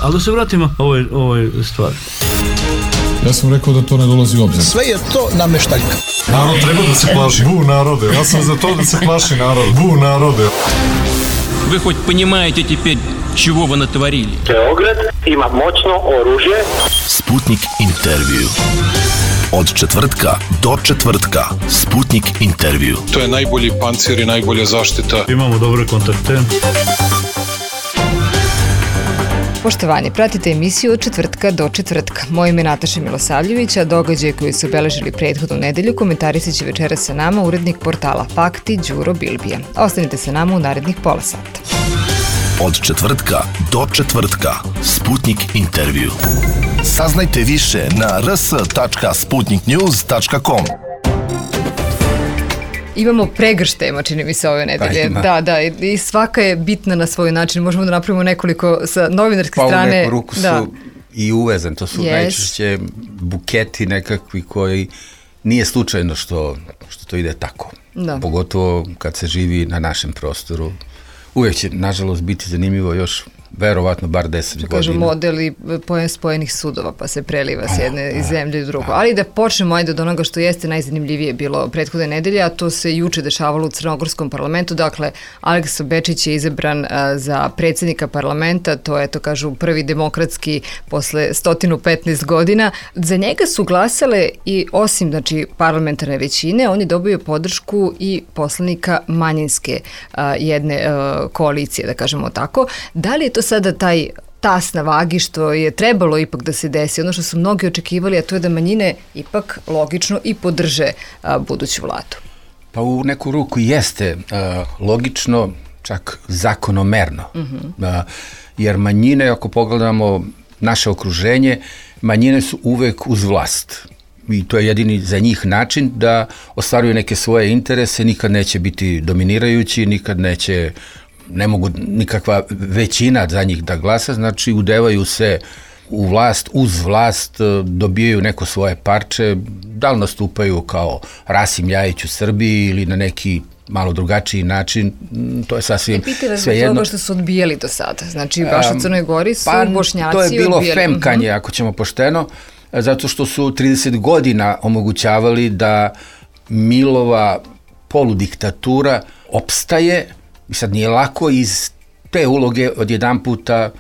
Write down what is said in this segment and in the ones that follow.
Ali da se vratimo ovoj stvari. Ja sam rekao da to ne dolazi u obzir. Sve je to nameštaljka. Narod treba da se plaši. Bu narode. Ja sam za to da se plaši narod. Bu narode. Вы хоть понимаете теперь, чего вы натворили? Beograd ima moćno oružje. Sputnik intervju. Od četvrtka do četvrtka. Sputnik intervju. To je najbolji pancir i najbolja zaštita. Imamo dobre kontakte. Poštovani, pratite emisiju od četvrtka do četvrtka. Moje ime je Nataša Milosavljević, a događaje koji su obeležili prethodnu nedelju komentarisat će večeras sa nama urednik portala Fakti Đuro Bilbija. Ostanite sa nama u narednih pola sata. Od četvrtka do četvrtka. Sputnik intervju. Saznajte više na rs.sputniknews.com. Imamo pregrš tema, čini mi se, ove nedelje. Da, i svaka je bitna na svoj način. Možemo da napravimo nekoliko sa novinarske strane. Pa u neku ruku su i uvezan. To su najčešće buketi nekakvi koji nije slučajno što to ide tako. Da. Pogotovo kad se živi na našem prostoru. Uvijek će, nažalost, biti zanimljivo još verovatno bar 10 godina. Kažu model i pojem spojenih sudova, pa se preliva s jedne zemlje u drugu. Ali da počnemo od onoga što jeste najzanimljivije bilo prethodne nedelje, a to se juče dešavalo u Crnogorskom parlamentu. Dakle, Aleksa Bečić je izabran za predsjednika parlamenta, to je, to kažu, prvi demokratski posle 115 godina. Za njega su glasale i osim, znači, parlamentarne većine, on je dobio podršku i poslanika manjinske jedne koalicije, da kažemo tako. Da li je to sada taj tas na vagi što je trebalo ipak da se desi, ono što su mnogi očekivali, a to je da manjine ipak logično i podrže buduću vladu? Pa u neku ruku jeste logično, čak zakonomerno. Jer manjine, ako pogledamo naše okruženje, manjine su uvek uz vlast. I to je jedini za njih način da ostvaruju neke svoje interese, nikad neće biti dominirajući, ne mogu nikakva većina za njih da glasa, znači udevaju se u vlast, uz vlast, dobijaju neko svoje parče, da li nastupaju kao Rasim Ljajić u Srbiji ili na neki malo drugačiji način, to je sasvim svejedno. Toga što su odbijali do sada, znači baš u Crnoj Gori su Bošnjaci odbijali. To je bilo odbijali. femkanje, ako ćemo pošteno, zato što su 30 godina omogućavali da Milova poludiktatura opstaje. I sad nije lako iz te uloge odjedan puta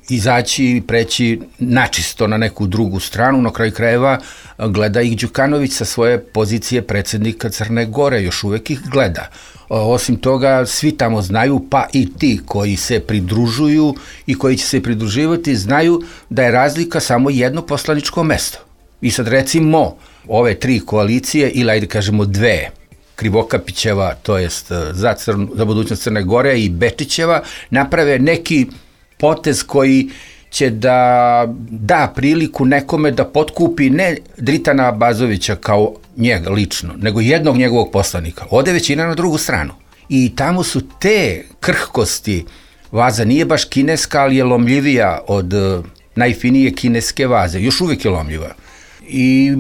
izaći i preći načisto na neku drugu stranu. Na kraju krajeva gleda ih Đukanović sa svoje pozicije predsjednika Crne Gore, još uvek ih gleda. Osim toga, svi tamo znaju, pa i ti koji se pridružuju i koji će se pridruživati, znaju da je razlika samo jedno poslaničko mesto. I sad recimo ove tri koalicije, ili ajde kažemo dve, Krivokapićeva, to jest za budućnost Crne Gore, i Bečićeva, naprave neki potez koji će da priliku nekome da potkupi ne Dritana Abazovića kao njega lično, nego jednog njegovog poslanika. Ode većina na drugu stranu. I tamo su te krhkosti, vaza nije baš kineska, ali je lomljivija od najfinije kineske vaze. Još uvijek je lomljiva. I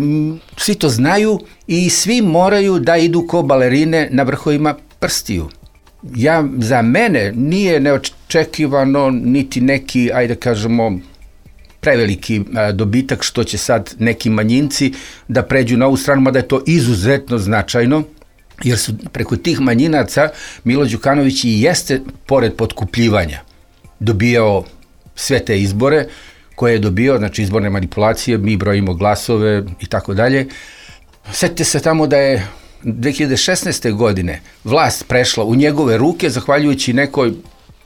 svi to znaju i svi moraju da idu ko balerine na vrhovima prstiju. Za mene nije neočekivano niti neki, ajde kažemo, preveliki dobitak što će sad neki manjinci da pređu na ovu stranu, mada je to izuzetno značajno, jer su preko tih manjinaca Milo Đukanović i jeste, pored potkupljivanja, dobijao sve te izbore koje je dobio, znači izborne manipulacije, mi brojimo glasove i tako dalje. Sjetite se tamo da je 2016. godine vlast prešla u njegove ruke zahvaljujući nekoj,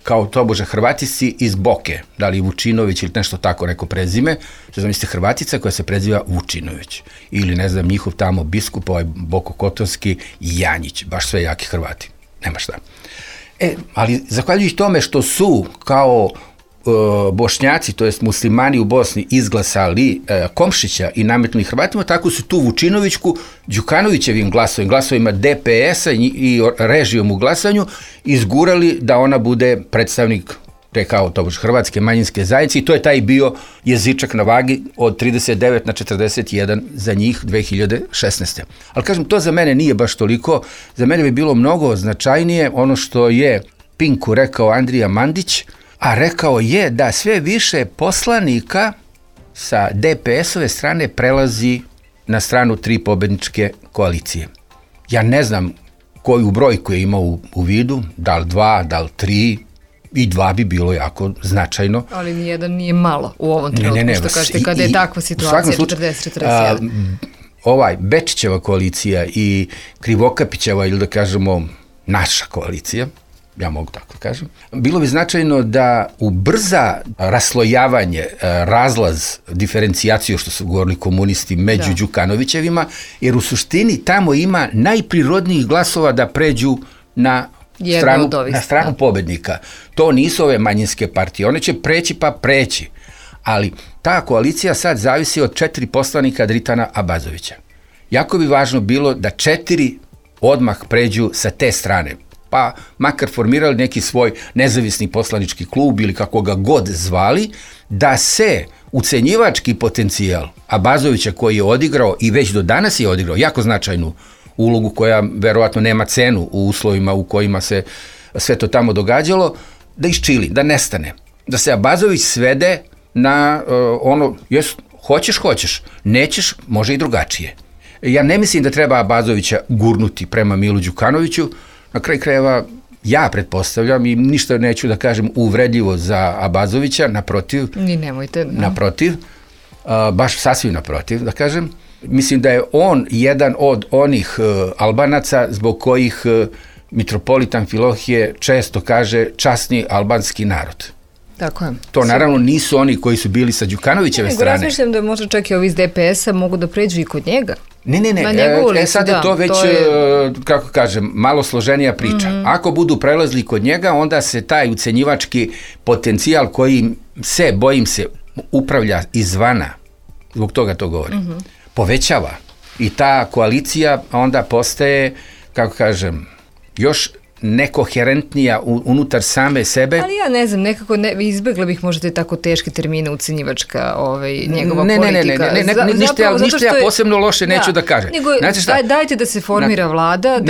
kao tobože Hrvatici iz Boke, da li Vučinović ili nešto tako neko prezime, što zamislite Hrvatica koja se preziva Vučinović, ili ne znam njihov tamo biskup, ovaj Bokokotonski Janjić, baš sve jaki Hrvati, nema šta. Ali zahvaljujući tome što su kao Bošnjaci, to jest muslimani u Bosni, izglasali Komšića i nametnuli Hrvatima, tako su tu Vučinovićku Đukanovićevim glasovima DPS-a i režijom u glasanju izgurali da ona bude predstavnik te kao tobož hrvatske manjinske zajednice, i to je taj bio jezičak na vagi od 39 na 41 za njih 2016. Ali kažem, to za mene nije baš toliko, za mene bi bilo mnogo značajnije ono što je Pinku rekao Andrija Mandić, a rekao je da sve više poslanika sa DPS-ove strane prelazi na stranu 3 pobedničke koalicije. Ja ne znam koju brojku je imao u vidu, da li 2, da li 3, i 2 bi bilo jako značajno. Ali nijedan nije malo u ovom trenutku, što kažete, kada je takva situacija, 40-41. Bečićeva koalicija i Krivokapićeva, ili da kažemo naša koalicija, ja mogu tako da kažem, bilo bi značajno da ubrza raslojavanje, razlaz, diferencijaciju, što su govorili komunisti, među Đukanovićevima, jer u suštini tamo ima najprirodnijih glasova da pređu na stranu pobednika. To nisu ove manjinske partije, one će preći pa preći, ali ta koalicija sad zavisi od 4 poslanika Dritana Abazovića. Jako bi važno bilo da 4 odmah pređu sa te strane, pa makar formirali neki svoj nezavisni poslanički klub ili kako ga god zvali, da se ucenjivački potencijal Abazovića koji je odigrao i već do danas je odigrao jako značajnu ulogu koja verovatno nema cenu u uslovima u kojima se sve to tamo događalo, da iščili, da nestane. Da se Abazović svede na hoćeš, nećeš, može i drugačije. Ja ne mislim da treba Abazovića gurnuti prema Milu Đukanoviću, na kraju krajeva ja pretpostavljam i ništa neću da kažem uvredljivo za Abazovića, naprotiv. Ni nemojte. Naprotiv, baš sasvim naprotiv da kažem. Mislim da je on jedan od onih Albanaca zbog kojih mitropolit Amfilohije često kaže časni albanski narod. Tako je. To naravno nisu oni koji su bili sa Đukanovićeve strane. Razmišljam da možda čak i ovi iz DPS-a mogu da pređu i kod njega. Ne, sad je to već, kako kažem, malo složenija priča. Ako budu prelazili kod njega, onda se taj ucenjivački potencijal koji se, bojim se, upravlja izvana, zbog toga to govorim, povećava. I ta koalicija onda postaje, kako kažem, još nekoherentnija unutar same sebe. Ali ja ne znam, nekako izbegla bih možda tako teške termine ucenjivačka njegova politika. Ništa ja posebno loše neću da kažem. Dajte da se formira vlada.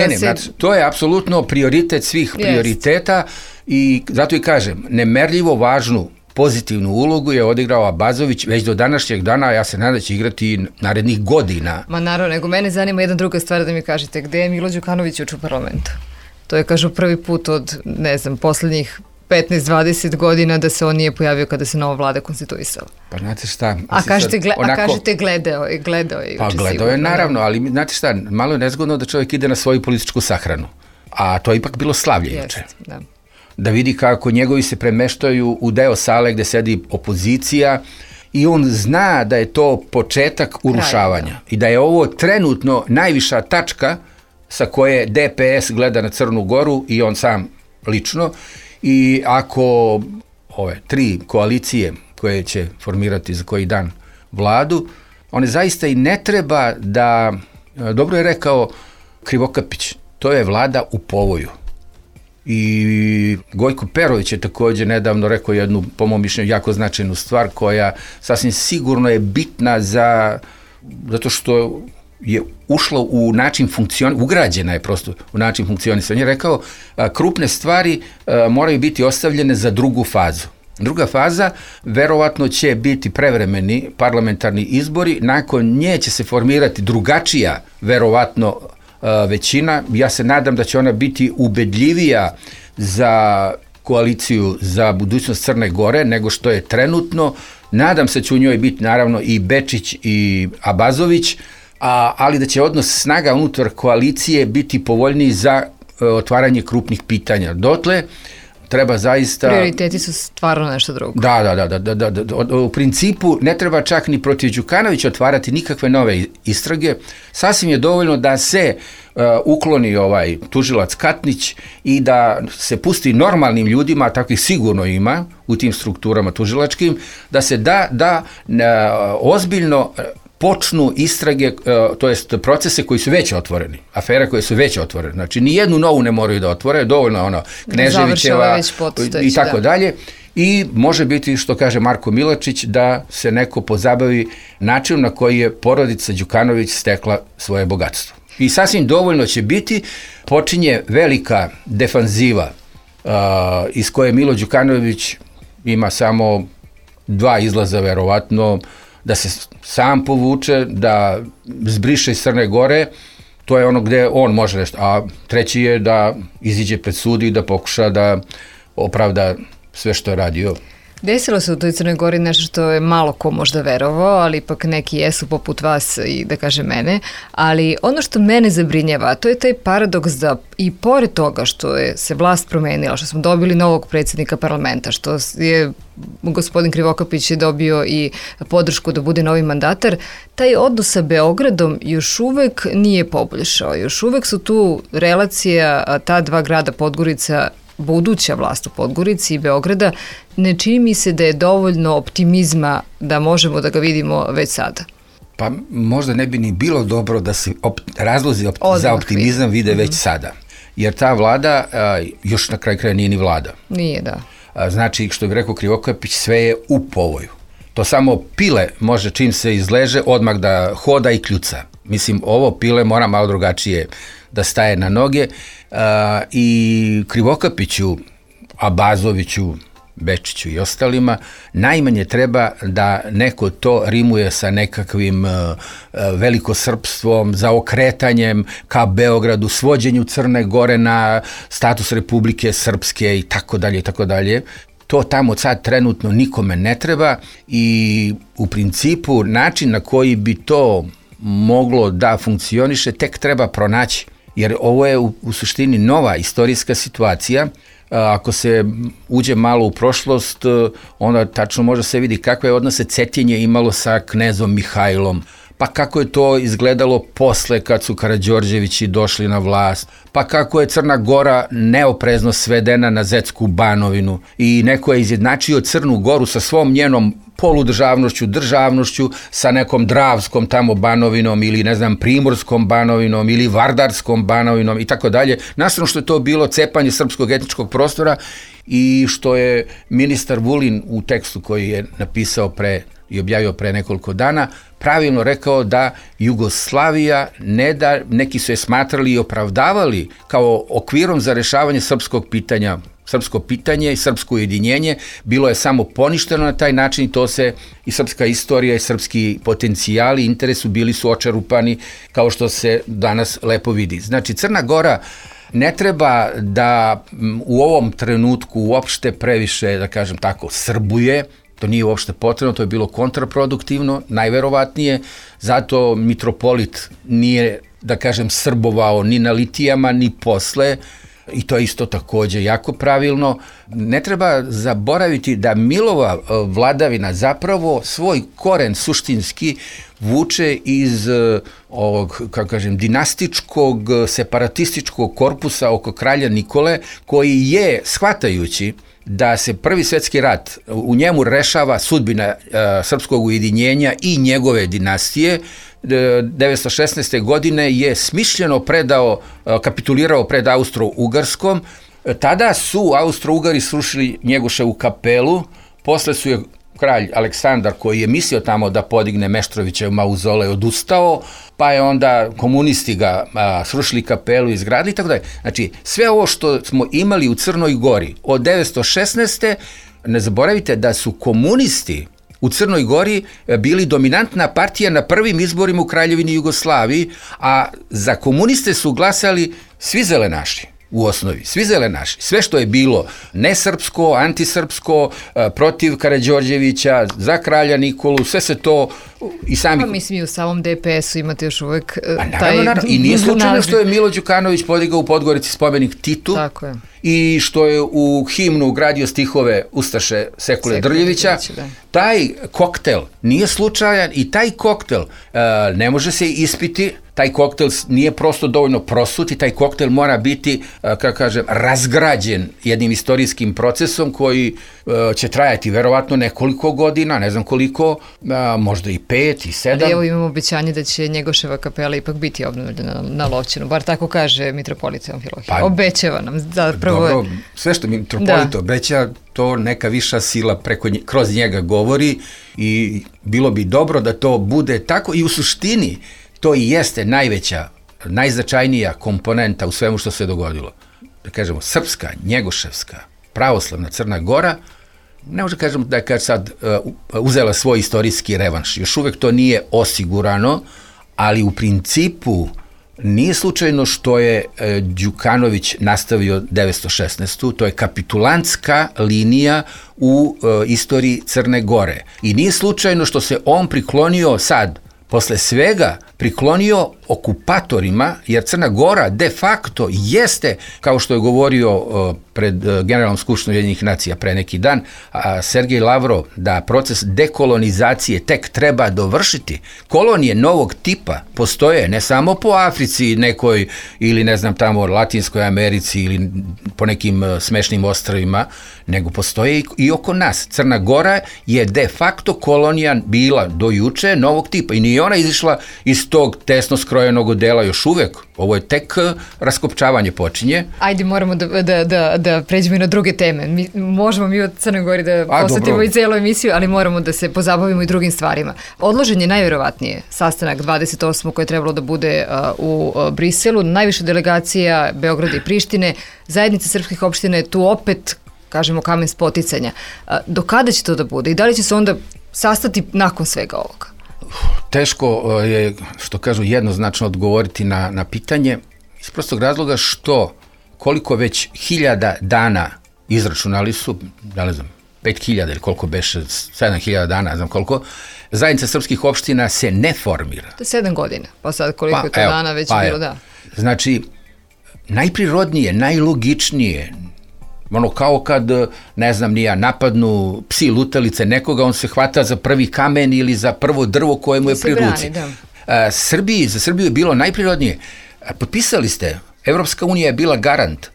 To je apsolutno prioritet svih prioriteta i zato i kažem, nemerljivo važnu pozitivnu ulogu je odigrao Abazović već do današnjeg dana, a ja se nadam da će igrati narednih godina. Ma naravno, nego mene zanima jedna druga stvar da mi kažete, gde je Milo Đukanović u parlamentu? To je, kažu, prvi put od, ne znam, poslednjih 15-20 godina da se on nije pojavio kada se nova vlada konstituisala. Pa znate šta? A kažete gledao je. Pa gledao je, naravno, ali znate šta, malo je nezgodno da čovjek ide na svoju političku sahranu. A to je ipak bilo slavlje juče. Da vidi kako njegovi se premeštaju u deo sale gde sedi opozicija i on zna da je to početak urušavanja i da je ovo trenutno najviša tačka sa koje DPS gleda na Crnu Goru i on sam lično, i ako ove 3 koalicije koje će formirati za koji dan vladu, one zaista i ne treba da, dobro je rekao Krivokapić, to je vlada u povoju. I Gojko Perović je također nedavno rekao jednu, po mom mišljenju, jako značajnu stvar koja sasvim sigurno je bitna zato što je ušlo u način ugrađena je prosto u način funkcionisanja. On je rekao, krupne stvari moraju biti ostavljene za drugu fazu. Druga faza verovatno će biti prevremeni parlamentarni izbori, nakon nje će se formirati drugačija verovatno većina. Ja se nadam da će ona biti ubedljivija za koaliciju za budućnost Crne Gore nego što je trenutno. Nadam se da će u njoj biti naravno i Bečić i Abazović, ali da će odnos snaga unutar koalicije biti povoljniji za otvaranje krupnih pitanja. Dotle treba zaista... Prioriteti su stvarno nešto drugo. Da. U principu ne treba čak ni protiv Đukanovića otvarati nikakve nove istrage. Sasvim je dovoljno da se ukloni tužilac Katnić i da se pusti normalnim ljudima, a takvih sigurno ima u tim strukturama tužilačkim, da se da ozbiljno počnu istrage, to jest procese koji su već otvoreni, afere koje su već otvorene. Znači, nijednu novu ne moraju da otvore, dovoljno Kneževićeva i tako dalje. I može biti, što kaže Marko Milačić, da se neko pozabavi načinom na koji je porodica Đukanović stekla svoje bogatstvo. I sasvim dovoljno će biti, počinje velika defanziva iz koje Milo Đukanović ima samo 2 izlaza verovatno, da se sam povuče, da zbriše iz Crne Gore, to je ono gde on može nešto, a treći je da iziđe pred sud i da pokuša da opravda sve što je radio. Desilo se u toj Crnoj Gori nešto što je malo ko možda verovao, ali ipak neki jesu poput vas i da kaže mene, ali ono što mene zabrinjava, to je taj paradoks da i pored toga što je se vlast promenila, što smo dobili novog predsjednika parlamenta, što je gospodin Krivokapić je dobio i podršku da bude novi mandatar, taj odnos sa Beogradom još uvek nije poboljšao. Još uvek su tu relacija ta 2 grada Podgorica, buduća vlast u Podgorici i Beograda, ne čini mi se da je dovoljno optimizma da možemo da ga vidimo već sada. Pa možda ne bi ni bilo dobro da se razlozi za optimizam vide već sada. Jer ta vlada još na kraju kraja nije ni vlada. Nije, da. Znači, što bi rekao Krivokapić, sve je u povoju. To samo pile može čim se izleže odmah da hoda i kljuca. Mislim, ovo pile mora malo drugačije da staje na noge i Krivokapiću, Abazoviću, Bečiću i ostalima, najmanje treba da neko to rimuje sa nekakvim velikosrpstvom, zaokretanjem ka Beogradu, svođenju Crne Gore na status Republike Srpske i tako dalje i tako dalje. To tamo sad trenutno nikome ne treba i u principu način na koji bi to moglo da funkcioniše tek treba pronaći. Jer ovo je u suštini nova istorijska situacija. Ako se uđe malo u prošlost, onda tačno može se vidi kakve odnose Cetinje imalo sa knezom Mihajlom, pa kako je to izgledalo posle kad su Karađorđevići došli na vlast, pa kako je Crna Gora neoprezno svedena na Zetsku Banovinu i neko je izjednačio Crnu Goru sa svom njenom poludržavnošću, državnošću, sa nekom Dravskom tamo Banovinom ili ne znam Primorskom Banovinom ili Vardarskom Banovinom i tako dalje. Nastavno što je to bilo cepanje srpskog etničkog prostora i što je ministar Vulin u tekstu koji je napisao i objavio pre nekoliko dana, pravilno rekao da Jugoslavija ne da, neki su je smatrali i opravdavali kao okvirom za rešavanje srpskog pitanja. Srpsko pitanje i srpsko ujedinjenje bilo je samo poništeno na taj način i to se i srpska istorija i srpski potencijali i interesu bili su očerupani kao što se danas lepo vidi. Znači Crna Gora ne treba da u ovom trenutku uopšte previše, da kažem tako, srbuje. To nije uopšte potrebno, to je bilo kontraproduktivno, najverovatnije, zato mitropolit nije, da kažem, srbovao ni na litijama, ni posle, i to je isto takođe jako pravilno. Ne treba zaboraviti da Milova vladavina zapravo svoj koren suštinski vuče iz ovog, kako kažem, dinastičkog, separatističkog korpusa oko kralja Nikole, koji je, shvatajući da se Prvi svjetski rat, u njemu rešava sudbina srpskog ujedinjenja i njegove dinastije, 1916. godine je smišljeno kapitulirao pred Austro-Ugarskom. Tada su Austro-Ugari srušili Njegoševu kapelu, posle su je kralj Aleksandar, koji je mislio tamo da podigne Meštrovićev mauzolej, odustao, pa je onda komunisti ga srušili kapelu, izgradili i tako dalje. Znači, sve ovo što smo imali u Crnoj Gori od 1916. ne zaboravite da su komunisti u Crnoj Gori bili dominantna partija na prvim izborima u Kraljevini Jugoslaviji, a za komuniste su glasali svi zelenaši. U osnovi, svi zelenaši, sve što je bilo nesrpsko, antisrpsko, protiv Karađorđevića, za kralja Nikolu, sve se to i sami... Pa mislim i u samom DPS-u imate još uvek naravno. I nije slučajno što je Milo Đukanović podigao u Podgorici spomenik Titu. Tako je. I što je u himnu ugradio stihove Ustaše Sekule Drljevića. Taj koktel nije slučajan i taj koktel ne može se ispiti. Taj koktel nije prosto dovoljno prosut i taj koktel mora biti, kako kažem, razgrađen jednim istorijskim procesom koji će trajati verovatno nekoliko godina, ne znam koliko, možda i 5 i 7. Ali evo imamo obećanje da će Njegoševa kapela ipak biti obnovljena na Lovćenu, bar tako kaže mitropolit Amfilohije. Obećava nam zapravo. Dobro, sve što mitropolit obeća, to neka viša sila kroz njega govori i bilo bi dobro da to bude tako i u suštini to i jeste najveća, najznačajnija komponenta u svemu što se dogodilo. Da kažemo, srpska, njegoševska, pravoslavna Crna Gora ne može kažem da je sad uzela svoj istorijski revanš. Još uvek to nije osigurano, ali u principu nije slučajno što je Đukanović nastavio 916. To je kapitulantska linija u istoriji Crne Gore. I nije slučajno što se on priklonio sad, posle svega, priklonio okupatorima, jer Crna Gora de facto jeste, kao što je govorio pred Generalnom skupštinom Ujedinjenih nacija pre neki dan, Sergej Lavrov, da proces dekolonizacije tek treba dovršiti. Kolonije novog tipa postoje ne samo po Africi nekoj ili ne znam tamo Latinskoj Americi ili po nekim smešnim ostrvima, nego postoje i oko nas. Crna Gora je de facto kolonija bila do juče novog tipa i nije ona izišla iz tog tesno skrojenog odela još uvek. Ovo je tek raskopčavanje počinje. Ajde, moramo da pređemo i na druge teme. Možemo mi od Crnoj Gori da posvetimo i celu emisiju, ali moramo da se pozabavimo i drugim stvarima. Odložen je najverovatnije sastanak 28. koji je trebalo da bude u Briselu. Najviše delegacija Beograda i Prištine. Zajednica srpskih opština je tu opet, kažemo, kamen spoticanja. Do kada će to da bude i da li će se onda sastati nakon svega ovoga? Teško je, što kažu, jednoznačno odgovoriti na pitanje iz prostog razloga što koliko već 1000 dana izračunali su, ne znam, 5000 ili koliko beše, 7000 dana, ne znam koliko, zajednica srpskih opština se ne formira. To je 7 godina, pa sad koliko je to dana već bilo, da. Znači, najprirodnije, najlogičnije, ono kao kad, ne znam, napadnu psi lutalice nekoga, on se hvata za prvi kamen ili za prvo drvo koje mu je pri ruci. Za Srbiju je bilo najprirodnije. Potpisali ste, Evropska unija je bila garant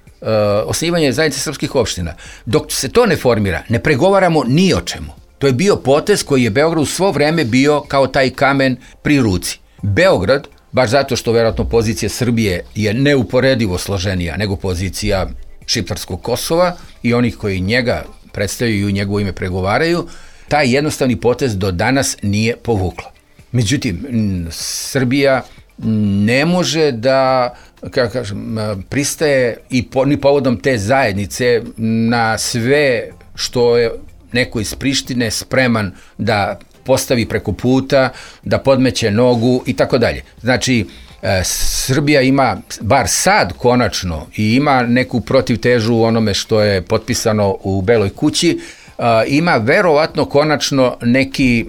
osnivanja zajednice srpskih opština. Dok se to ne formira, ne pregovaramo ni o čemu. To je bio potez koji je Beogradu svo vreme bio kao taj kamen pri ruci. Beograd, baš zato što verovatno pozicija Srbije je neuporedivo složenija nego pozicija šiptarskog Kosova i onih koji njega predstavljaju i u njegovo ime pregovaraju, taj jednostavni potez do danas nije povukla. Međutim, Srbija ne može da, kako kažem, pristaje i ni povodom te zajednice na sve što je neko iz Prištine spreman da postavi preko puta, da podmeće nogu i tako dalje. Znači, Srbija ima, bar sad konačno, i ima neku protivtežu u onome što je potpisano u Beloj kući, ima verovatno konačno neki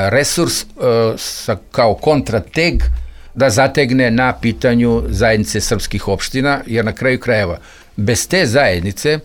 resurs kao kontrateg da zategne na pitanju zajednice srpskih opština, jer na kraju krajeva bez te zajednice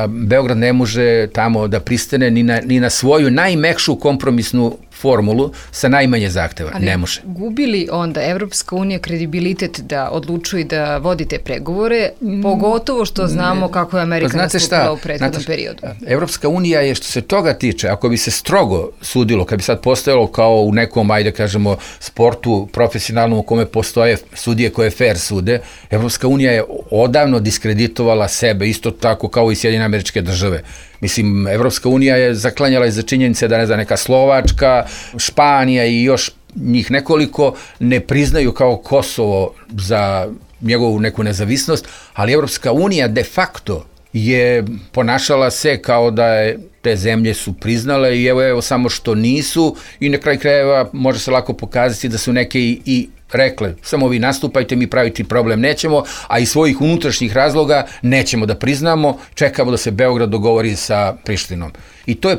Beograd ne može tamo da pristane ni na svoju najmekšu kompromisnu formulu sa najmanje zahteva. Ali ne može. Gubi li onda Evropska unija kredibilitet da odlučuje da vodi te pregovore, pogotovo što znamo kako je Amerika nastupila u prethodnom periodu? Evropska unija je, što se toga tiče, ako bi se strogo sudilo, kad bi sad postojalo kao u nekom, ajde kažemo, sportu profesionalnom u kome postoje sudije koje fair sude, Evropska unija je odavno diskreditovala sebe, isto tako kao i Sjedinjene Američke Države. Mislim, Evropska unija je zaklanjala iza činjenice da, ne znam, neka Slovačka, Španija i još njih nekoliko ne priznaju kao Kosovo za njegovu neku nezavisnost, ali Evropska unija de facto je ponašala se kao da je te zemlje su priznale i evo samo što nisu i na kraju krajeva može se lako pokazati da su neke i rekle, samo vi nastupajte, mi praviti problem nećemo, a iz svojih unutrašnjih razloga nećemo da priznamo, čekamo da se Beograd dogovori sa Prištinom. I to je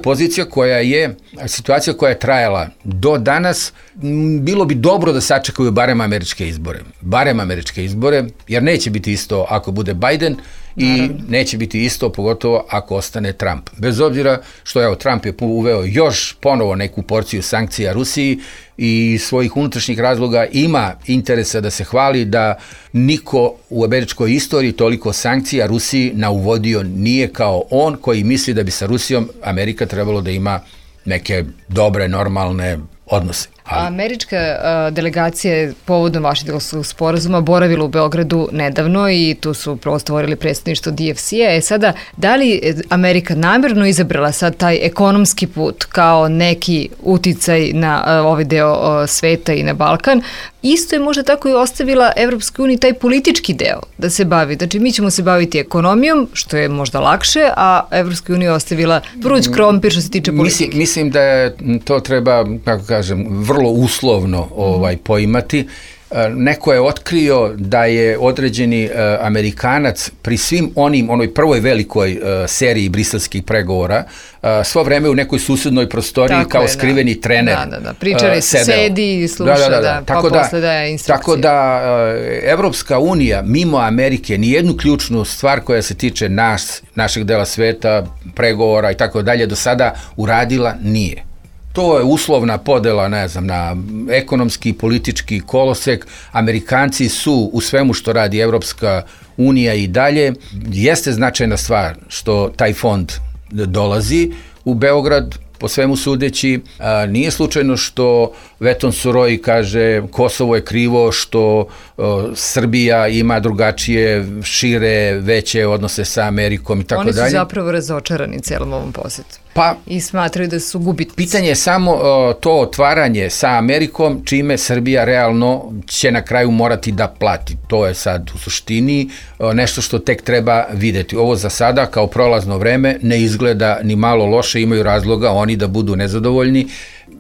situacija koja je trajala do danas. Bilo bi dobro da sačekaju barem američke izbore, jer neće biti isto ako bude Biden i neće biti isto pogotovo ako ostane Trump. Bez obzira što Trump je uveo još ponovo neku porciju sankcija Rusiji i svojih unutrašnjih razloga ima interesa da se hvali da niko u američkoj istoriji toliko sankcija Rusiji nauvodio nije kao on koji misli da bi sa Rusijom Amerika trebalo da ima neke dobre, normalne odnose. Američka delegacija je povodom Vašingtonskog sporazuma boravila u Beogradu nedavno i tu su upravo stvorili predstavništvo DFC-a. Sada, da li Amerika namjerno izabrala sad taj ekonomski put kao neki uticaj na ovaj deo sveta i na Balkan? Isto je možda tako i ostavila Evropskoj uniji taj politički deo da se bavi. Znači, mi ćemo se baviti ekonomijom, što je možda lakše, a Evropskoj uniji ostavila vruć krompir što se tiče politike. Mislim da je to treba, kako kažem, vrlo uslovno poimati. Neko je otkrio da je određeni Amerikanac pri svim onoj prvoj velikoj seriji briselskih pregovora svo vreme u nekoj susednoj prostoriji tako kao je, skriveni trener pričali se, sedi i sluša, pa posle daje instrukcije. Tako da Evropska unija mimo Amerike nijednu ključnu stvar koja se tiče našeg dela sveta, pregovora i tako dalje do sada uradila nije. To je uslovna podela, ne znam, na ekonomski, politički kolosek. Amerikanci su u svemu što radi Evropska unija i dalje. Jeste značajna stvar što taj fond dolazi u Beograd, po svemu sudeći. Nije slučajno što Veton Suroj kaže Kosovo je krivo što Srbija ima drugačije, šire, veće odnose sa Amerikom i tako dalje. Oni su zapravo razočarani celom ovom posjetu. I smatraju da su gubitnici. Pitanje je samo to otvaranje sa Amerikom, čime Srbija realno će na kraju morati da plati. To je sad u suštini nešto što tek treba videti. Ovo za sada kao prolazno vreme ne izgleda ni malo loše, imaju razloga oni da budu nezadovoljni.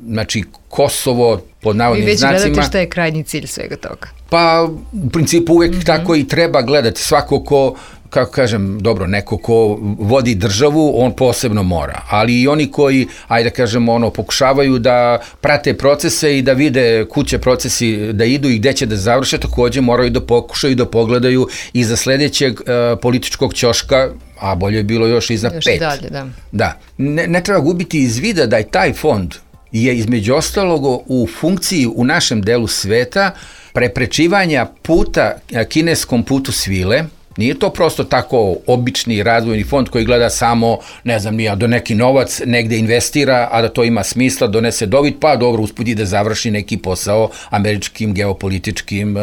Znači, Kosovo, pod navodnim znacima... Vi već gledate šta je krajnji cilj svega toga? Pa, u principu uvek tako i treba gledati. Svako ko, kako kažem, dobro, neko ko vodi državu, on posebno mora. Ali i oni koji, ajde kažemo, pokušavaju da prate procese i da vide kuće procesi da idu i gde će da završe, takođe moraju da pokušaju da pogledaju iza sledećeg političkog ćoška, a bolje je bilo još iza 5. Još i dalje, da. Da. Ne treba gubiti iz vida da je taj fond je između ostalog u funkciji u našem delu sveta preprečivanja puta kineskom putu svile. Nije to prosto tako obični razvojni fond koji gleda samo, ne znam, do neki novac negde investira, a da to ima smisla, donese dobit, pa dobro, usput da završi neki posao američkim geopolitičkim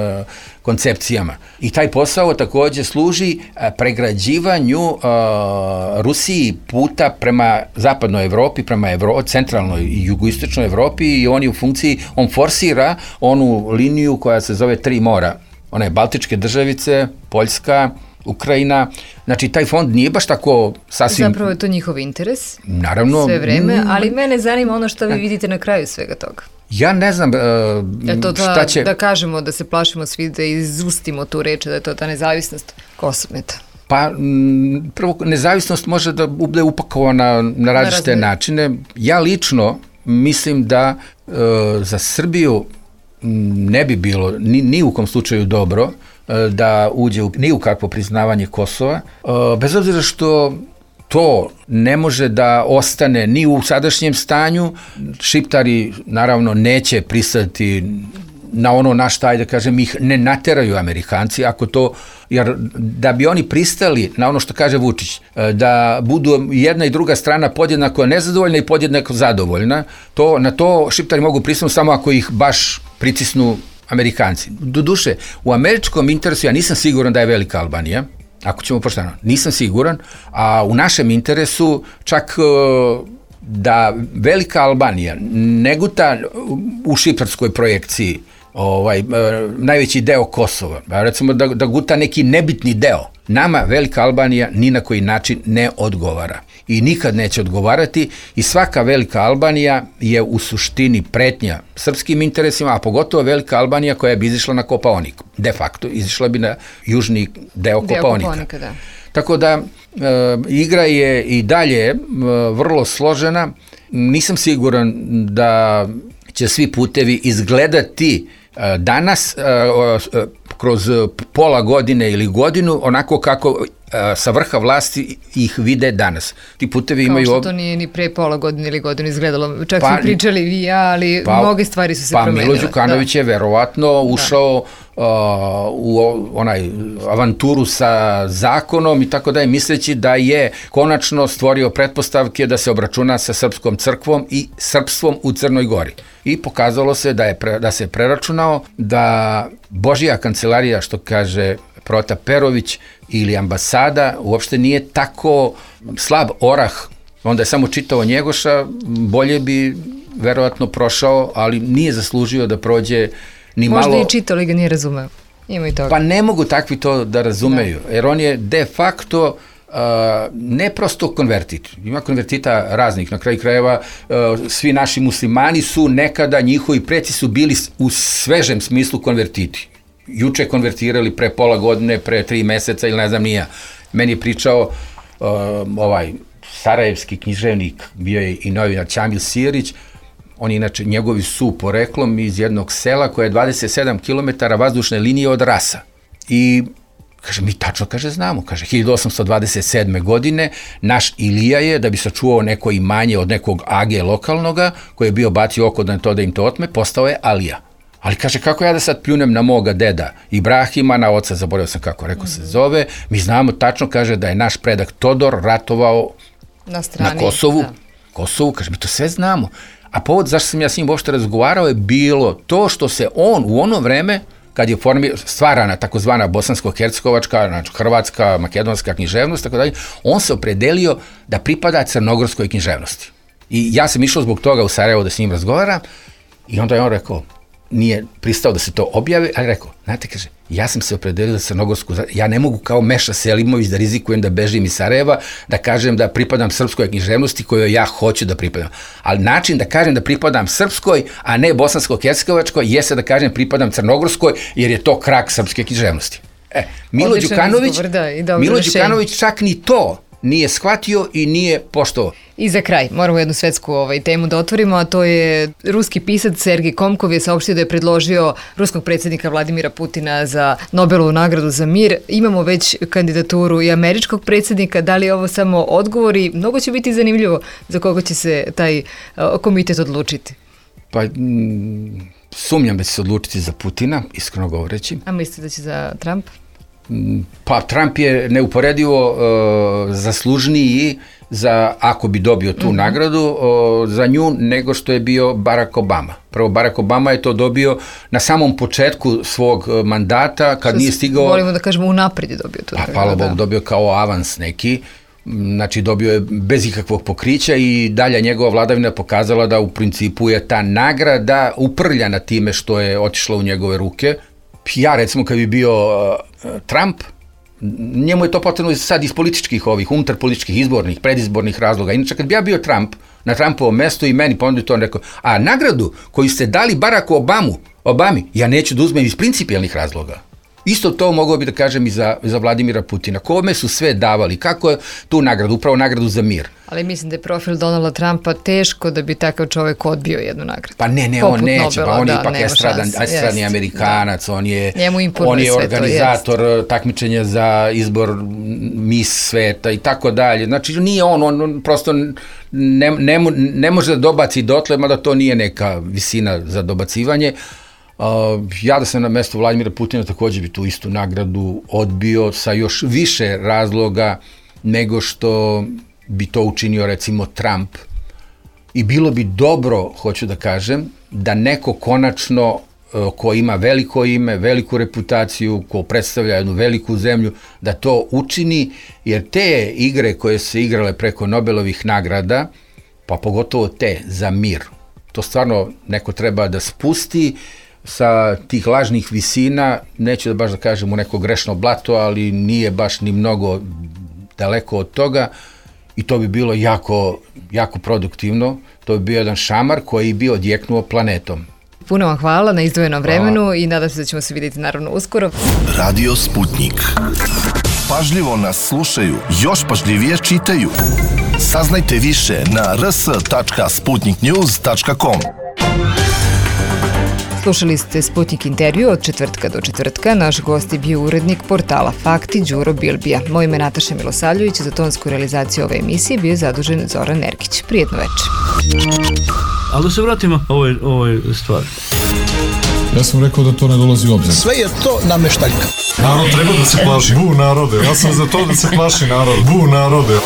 koncepcijama. I taj posao takođe služi pregrađivanju Rusiji puta prema zapadnoj Evropi, prema centralnoj i jugoistočnoj Evropi i on forsira onu liniju koja se zove Tri mora. One Baltičke državice, Poljska, Ukrajina. Znači, taj fond nije baš tako sasvim... Zapravo je to njihov interes. Naravno. Sve vreme, ali mene zanima ono što vi vidite na kraju svega toga. Ja ne znam šta će... Da kažemo, da se plašimo svi, da izustimo tu reč, da je to ta nezavisnost Kosmeta. Pa, prvo, nezavisnost može da bude upakovana na različite načine. Ja lično mislim da za Srbiju ne bi bilo ni u kom slučaju dobro da uđe ni u kakvo priznavanje Kosova, bez obzira što to ne može da ostane ni u sadašnjem stanju. Šiptari naravno neće pristati na ono na šta, ajde kažem, ih ne nateraju Amerikanci, ako to, jer da bi oni pristali na ono što kaže Vučić, da budu jedna i druga strana podjednako nezadovoljna i podjednako zadovoljna, na to Šiptari mogu pristati samo ako ih baš pritisnu Amerikanci. Doduše, u američkom interesu ja nisam siguran da je velika Albanija, ako ćemo pošteno, nisam siguran, a u našem interesu čak da velika Albanija ne guta u šiptarskoj projekciji najveći deo Kosova, recimo da guta neki nebitni deo. Nama velika Albanija ni na koji način ne odgovara i nikad neće odgovarati i svaka velika Albanija je u suštini pretnja srpskim interesima, a pogotovo velika Albanija koja bi izišla na Kopaonik. De facto izišla bi na južni deo Kopaonika. Da. Tako da igra je i dalje vrlo složena. Nisam siguran da će svi putevi izgledati danas kroz pola godine ili godinu onako kako sa vrha vlasti ih vide danas. Ti putevi imaju... Kao što to nije ni pre pola godine ili godinu izgledalo. Čak smo pričali vi i ja, ali mnoge stvari su se promenile. Milo Đukanović je verovatno ušao u onaj avanturu sa zakonom i tako dalje, misleći da je konačno stvorio pretpostavke da se obračuna sa srpskom crkvom i srpstvom u Crnoj Gori. I pokazalo se da se preračunao, da Božja kancelarija, što kaže Prota Perović, ili ambasada, uopšte nije tako slab orah. Onda je samo čitao Njegoša, bolje bi verovatno prošao, ali nije zaslužio da prođe ni malo... Možda i čitao, ali ga nije razumeo. Ima i toga. Pa ne mogu takvi to da razumeju, jer on je de facto ne prosto konvertit. Ima konvertita raznih. Na kraju krajeva svi naši muslimani su nekada, njihovi preci su bili u svežem smislu konvertiti. Juče konvertirali, pre pola godine, pre 3 meseca ili ne znam nija. Meni je pričao sarajevski književnik, bio je i novinar Ćamil Sijerić. On inače, njegovi su poreklom iz jednog sela koje je 27 km vazdušne linije od Rasa. I kaže, mi tačno, znamo, 1827. godine naš Ilija je, da bi sačuvao neko imanje od nekog age lokalnoga, koji je bio bacio oko da im to otme, postao je Alija. Ali kaže, kako ja da sad pljunem na moga deda Ibrahima, na oca, zaboravio sam kako se zove, mi znamo tačno, kaže, da je naš predak Todor ratovao na Kosovu. Kosovu, kaže, mi to sve znamo. A povod zašto sam ja s njim uopšte razgovarao je bilo to što se on u ono vreme, kad je stvarana takozvana bosansko-hercegovačka, znači hrvatska, makedonska književnost, tako dalje, on se opredelio da pripada crnogorskoj književnosti. I ja sam išao zbog toga u Sarajevo da s njim razgovaram i onda je on rekao, nije pristao da se to objavi, ali rekao, znate, kaže, ja sam se opredelio za crnogorsku, ja ne mogu kao Meša Selimović da rizikujem da bežim iz Sarajeva, da kažem da pripadam srpskoj književnosti kojoj ja hoću da pripadam. Ali način da kažem da pripadam srpskoj, a ne bosansko-hercegovačkoj, jeste da kažem pripadam crnogorskoj, jer je to krak srpske književnosti. Milo Đukanović čak ni to nije shvatio i nije poštovao. I za kraj, moramo jednu svetsku temu da otvorimo, a to je ruski pisac Sergij Komkov je saopštio da je predložio ruskog predsjednika Vladimira Putina za Nobelovu nagradu za mir. Imamo već kandidaturu i američkog predsjednika, da li je ovo samo odgovor i mnogo će biti zanimljivo za koga će se taj komitet odlučiti. Pa sumnjam da će se odlučiti za Putina, iskreno govoreći. A mislite da će za Trump? Pa Trump je neuporedivo zaslužniji ako bi dobio tu nagradu za nju nego što je bio Barack Obama. Prvo, Barack Obama je to dobio na samom početku svog mandata kad nije stigao... Volimo da kažemo unaprijed je dobio tu nagradu. Pa hvala Bog, dobio kao avans neki. Znači dobio je bez ikakvog pokrića i dalje njegova vladavina pokazala da u principu je ta nagrada uprljana time što je otišla u njegove ruke. Ja recimo kad bi bio Trump, njemu je to potrebno sad iz političkih unutarpolitičkih, izbornih, predizbornih razloga. Inače kad bi ja bio Trump, na Trumpovom mestu i meni ponudio to, on rekao, a nagradu koju ste dali Baracku Obami, ja neću da uzmem iz principijelnih razloga. Isto to mogao bi da kažem i za Vladimira Putina. Kome su sve davali? Kako je tu nagradu? Upravo nagradu za mir. Ali mislim da je profil Donalda Trumpa teško da bi takav čovjek odbio jednu nagradu. Pa ne, on neće. Pa on je ipak estradni Amerikanac, on je organizator takmičenja za izbor Miss sveta i tako dalje. Znači nije on prosto ne može da dobaci dotle, mada to nije neka visina za dobacivanje. Ja da sam na mjestu Vladimira Putina također bi tu istu nagradu odbio sa još više razloga nego što bi to učinio recimo Trump. I bilo bi dobro, hoću da kažem, da neko konačno ko ima veliko ime, veliku reputaciju, ko predstavlja jednu veliku zemlju, da to učini, jer te igre koje se igrale preko Nobelovih nagrada, pa pogotovo te za mir, to stvarno neko treba da spusti sa tih lažnih visina, neću da baš da kažem u neko grešno blato, ali nije baš ni mnogo daleko od toga i to bi bilo jako, jako produktivno. To bi bio jedan šamar koji bi odjeknuo planetom. Puno vam hvala na izdvojenom vremenu i nadam se da ćemo se vidjeti naravno uskoro. Radio Sputnik. Pažljivo nas slušaju, još pažljivije čitaju. Saznajte više na rs.sputniknews.com. Slušali ste Sputnik intervju od četvrtka do četvrtka. Naš gost je bio urednik portala Fakti Đuro Bilbija. Moje ime je Nataša Milosavljević, za tonsku realizaciju ove emisije bio je zadužen Zoran Nerkić. Prijetno večer. Ali da se vratimo ovoj stvari. Ja sam rekao da to ne dolazi u obzir. Sve je to nameštaljka. Narod treba da se plaši. Bu narode. Ja sam za to da se plaši narod. Bu narode.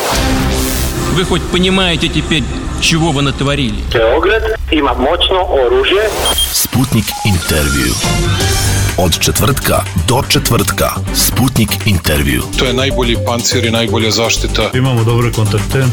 Вы хоть понимаете теперь, чего вы натворили? Beograd ima moćno oružje. Sputnik intervju. Od četvrtka do četvrtka. Sputnik intervju. To je najbolji pancir i najbolja zaštita. Imamo dobre kontakte.